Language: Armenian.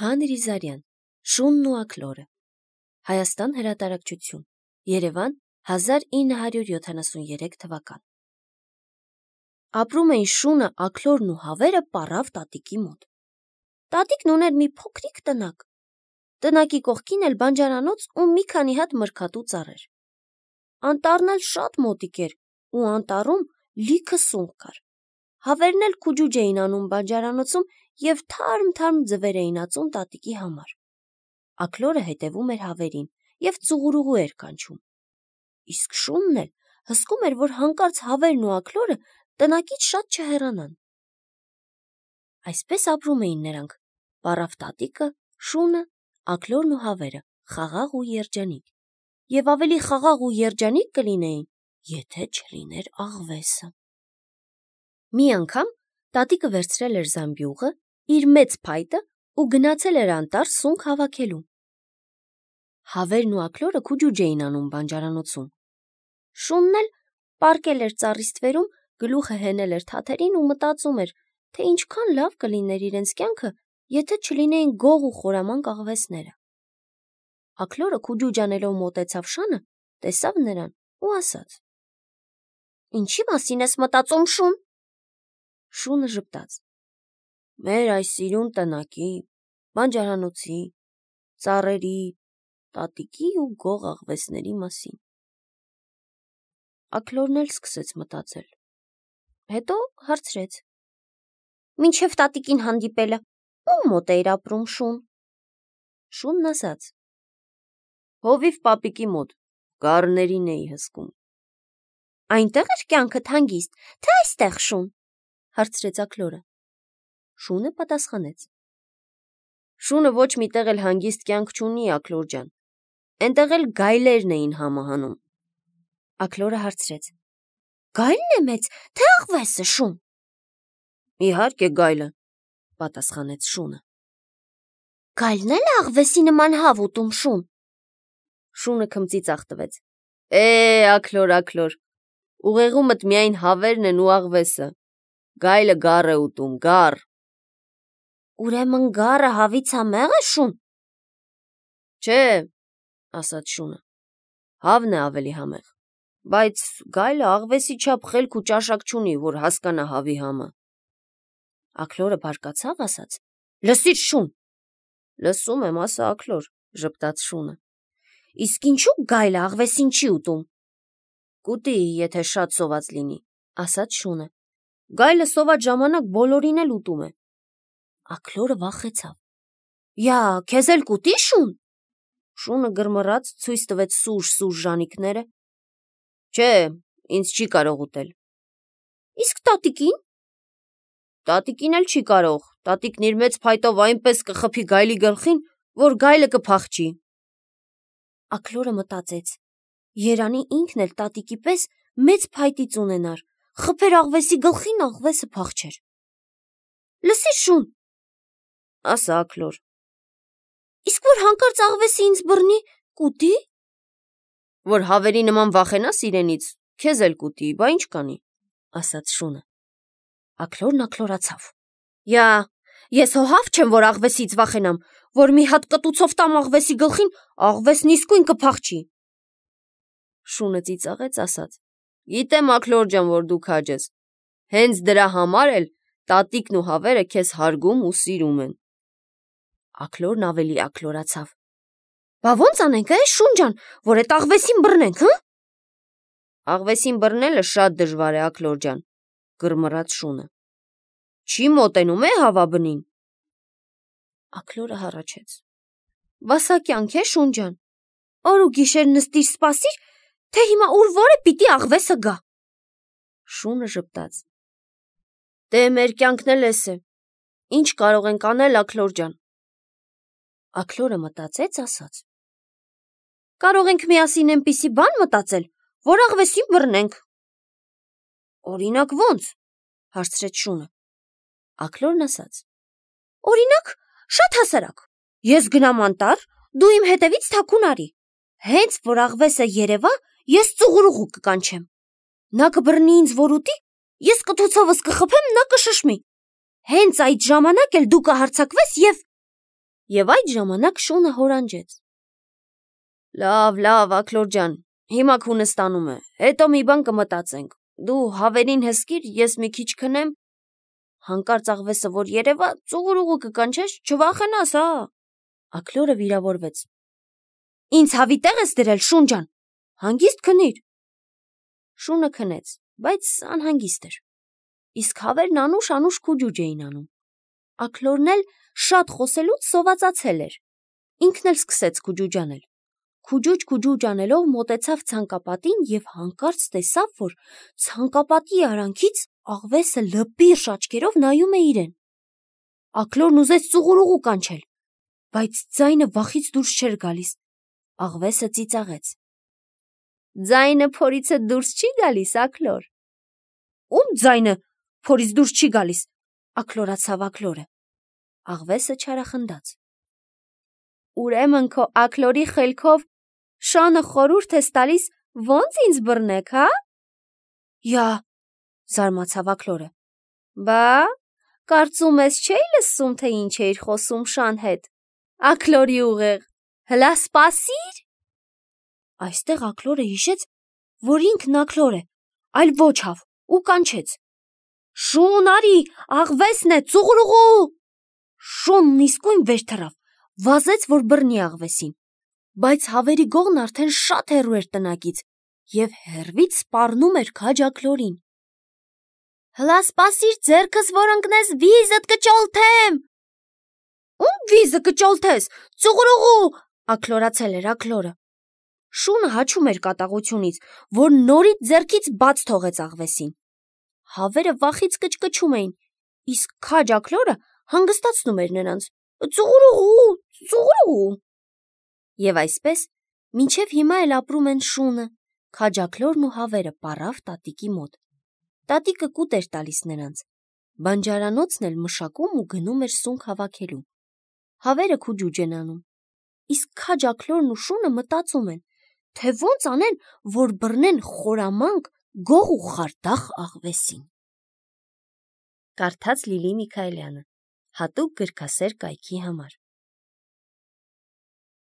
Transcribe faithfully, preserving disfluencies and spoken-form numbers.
Հան Ռիզարյան, Շունն ու աքլորը, Հայաստան հրատարակչություն, Երևան, հազար ինը հարյուր յոթանասուներեք թվական։ Ապրում էին Շունը, աքլորն ու հավերը պառավ տատիկի մոտ։ Տատիկն ուներ մի փոքրիկ տնակ։ Տնակի կողքին էլ բանջարանոց ու մի քանի հատ մրգատու ծառեր։ Անտառն էլ շատ մոտիկ էր ու անտառում լիքը սունկ կար։ Հավերն էլ քուջուջ էին անում բանջարանոցում և թարմ-թարմ ձվեր էին ածում տատիկի համար։ Աքլորը հետևում էր հավերին և ծուղուրուղու էր կանչում։ Իսկ Շունն էլ հսկում էր, որ հանկարծ հավերն ու աքլորը տնակից շատ չհեռանան։ Այսպես ապրում էին նրանք՝ պառավ տատիկը, Շունը, աքլորն ու հավերը, խաղաղ ու երջանիկ, և ավելի խաղաղ ու երջանիկ կլինեին, եթե չլիներ աղվեսը։ Մի անգամ տատիկը վերցրել էր զամբյուղը, իր մեծ փայտը ու գնացել էր անտառ սունկ հավաքելու։ Հավերն ու աքլորը քուջուջ էին անում բանջարանոցում։ Շունն էլ պառկել էր ծառի ստվերում, գլուխը հենել էր թաթերին ու մտածում էր, թե ինչքան լավ կլիներ իրենց կյանքը, եթե չլինեին գող ու խորամանկ աղվեսները։ Աքլորը քուջուջ անելով մոտեցավ Շանը, տեսավ նրան ու ասաց. «Ինչի մասին ես մտածում, Շուն»։ Շունը ժպտաց. «Մեր այս սիրուն տնակի, բանջարանոցի, ծառերի, տատիկի ու գող աղվեսների մասին»։ Աքլորն էլ սկսեց մտածել, հետո հարցրեց. «Մինչև տատիկին հանդիպելը ո՞ւմ մոտ էիր ապրում, Շուն»։ Շունն ասաց. «Հովիվ պապիկի մոտ, գառներին էի հսկում»։ «Այնտեղ էր կյանքդ հանգիստ, թե այստեղ, Շուն»։ հարցրեց աքլորը։ Շունը պատասխանեց. «Շունը ոչ մի տեղ էլ հանգիստ կյանք չունի, աքլոր ջան, էնտեղ էլ գայլերն էին համը հանում»։ Աքլորը հարցրեց. «Գայլն է մեծ, թե աղվեսը, Շուն»։ «Իհարկե գայլը», պատասխանեց Շունը։ «Գայլն էլ է աղվեսի նման հավ ուտում, Շուն»։ Շունը քմծիծաղ տվեց. «Է, աքլոր, աքլոր, ուղեղումդ միայն հավերն են ու աղվեսը, գայլը գառ է ուտում, գառ»։ «Ուրեմն գառը հավից համե՞ղ է, Շուն»։ «Չէ», ասաց Շունը, «հավն է ավելի համեղ, բայց գայլը աղվեսի չափ խելք ու ճաշակ չունի, որ հասկանա հավի համը»։ Աքլորը բարկացավ, ասաց. «Լսիր, Շուն»։ «Լսում եմ, ասա, աքլոր», ժպտաց Շունը։ «Իսկ ինչու գայլը աղվեսին չի ուտում»։ «Կուտի, եթե շատ սոված լինի», ասաց Շունը։ «Գայլը սոված ժամանակ բոլորին էլ ուտում է»։ Աքլորը վախեցավ. «Յա, քեզ էլ կուտի, Շուն»։ Շունը գրմռաց, ցույց տվեց սուժ-սուժ ժանիքները. «Չէ, ինձ չի կարող ուտել»։ «Իսկ տատիկին»։ «Տատիկին էլ չի կարող, տատիկն իր մեծ փայտով այնպես կխփի գայլի գլխին, որ գայլը կփախչի»։ Աքլորը մտածեց. երանի ինքն էլ տատիկի պես մեծ փայտից ունենար, խփեր աղվեսի գլխին, աղվեսը փախչեր։ «Լսիր, Շուն», ասա աքլոր, «իսկ որ հանկարծ աղվեսը ինձ բռնի, կուտի»։ «Որ հավերի նման վախենաս իրենից, քեզ էլ կուտի, բա ինչ կանի», ասաց Շունը։ Աքլորն աքլորացավ. «Յա, ես հո հավ չեմ, որ աղվեսից վախենամ, որ մի հատ կտուցով տամ աղվեսի գլխին, աղվեսն իսկույն կփախչի»։ Շունը ծիծաղեց, ասաց. «Գիտեմ, աքլոր ջան, որ դու քաջ ես, հենց դրա համար էլ տատիկն ու հավերը քեզ հարգում ու սիրում են»։ Աքլորն ավելի աքլորացավ. «Բա ո՞նց անենք, է, Շուն ջան, որ էդ աղվեսին բռնենք, հը»։ «Աղվեսին բռնելը շատ դժվար է, աքլոր ջան», գրմռաց Շունը։ «Չի մոտենում է հավաբնին»։ Աքլորը հառաչեց. «Վասա կյանք է, Շուն ջան, օր ու գիշեր նստիր սպասիր, թե հիմա ուր որը պիտի աղվեսը գա»։ Շունը ժպտաց. «Դե մեր կյանքն էլ էս է, ինչ կարող ենք անել, աքլոր ջան»։ Աքլորը մտածեց, ասաց. «Կարող ենք միասին էնպիսի բան մտածել, որ աղվեսին բռնենք»։ «Օրինակ ո՞նց», հարցրեց Շունը։ Աքլորն ասաց. «Օրինակ, շատ հասարակ, ես գնամ անտառ, դու իմ հետևից թաքուն արի, հենց որ աղվեսը երևա, ես ծուղուրուղու կկանչեմ։ Նա կբռնի ինձ, որ ուտի, ես կթուցովս կխփեմ, նա կշշմի։ Հենց այդ ժամանակ էլ դու կհարձակվես և Եվ այդ ժամանակ շունը հորանջեց. Լավ, լավ, Աքլոր ջան, հիմա քունը ստանում է, հետո մի բան կմտածենք, դու հավերին հսկիր, ես մի քիչ քնեմ, հանկարծ աղվեսը որ երևա, ծուղուրուղու կկանչես, չվախենաս, հա։ Աքլորը վիրավորվեց. Ինձ հավի տեղ ես դրել, Շուն ջան, հանգիստ քնիր։ Շունը քնեց, բայց անհանգիստ էր, իսկ հավերն անուշ-անուշ քուջուջ էին անում։ Աքլորն էլ շատ խոսելուց սովածացել էր, ինքն էլ սկսեց քուջուջ անել։ Քուջուջ-քուջուջ անելով մոտեցավ ցանկապատին և հանկարծ տեսավ, որ ցանկապատի արանքից աղվեսը լպիրշ աչքերով նայում է իրեն։ Աքլորն ուզեց ծուղուրուղու կանչել, բայց ձայնը վախից դուրս չէր գալիս։ Աղվեսը ծիծաղեց. Ձայնը փորիցը դուրս չի գալիս, Աքլոր։ Ում ձայնը փորից դուրս չի գալիս, աքլորացավ Աքլորը։ Աղվեսը չարախնդաց. Ուրեմն քո Աքլորի խելքով շանը խորհուրդ ես տալիս ոնց ինձ բռնեք, հա։ Յա, զարմացավ Աքլորը։ Բա, կարծում ես չէի լսում, թե ինչ էիր խոսում շան հետ, Աքլորի ուղեղ, հլա սպասիր։ Այստեղ Աքլորը հիշեց, որ ինքն Աքլոր է, այլ ոչ հավ, ու կանչեց. Շուն արի, աղվեսն է, ծուղրուղու։ Շունն իսկույն վեր թռավ, վազեց, որ բռնի աղվեսին, բայց հավերի գողն արդեն շատ հեռու էր տնակից և հեռվից սպառնում էր քաջ Աքլորին։ Հլա սպասիր, ձեռքս որ ընկնես, վիզդ կճոլթեմ։ Ում վիզը կճոլթես, ծուղրուղու, աքլորացել էր Աքլորը։ Շունը հաչում էր կատաղությունից, որ նորից ձեռքից բաց թողեց աղվեսին։ Հավերը վախից կչկչում էին, իսկ քաջ Աքլորը հանգստացնում էր նրանց. Ծուղրուղու, ծուղրուղու։ Եվ այսպես, մինչև հիմա էլ ապրում են Շունը, քաջ Աքլորն ու հավերը պառավ տատիկի մոտ։ Տատիկը կուտ էր տալիս նրանց, բանջարանոցն էլ մշակում ու գնում էր սունկ հավաքելու։ Հավերը քուջուջ են անում, իսկ քաջ Աքլորն ու Շունը մտածում են, թե ոնց անեն, որ բռնեն խորամանկ, գող ու խարդախ աղվեսին։ Կարդաց Լիլի Միքայելյանը, հատուկ գրքասեր կայքի համար։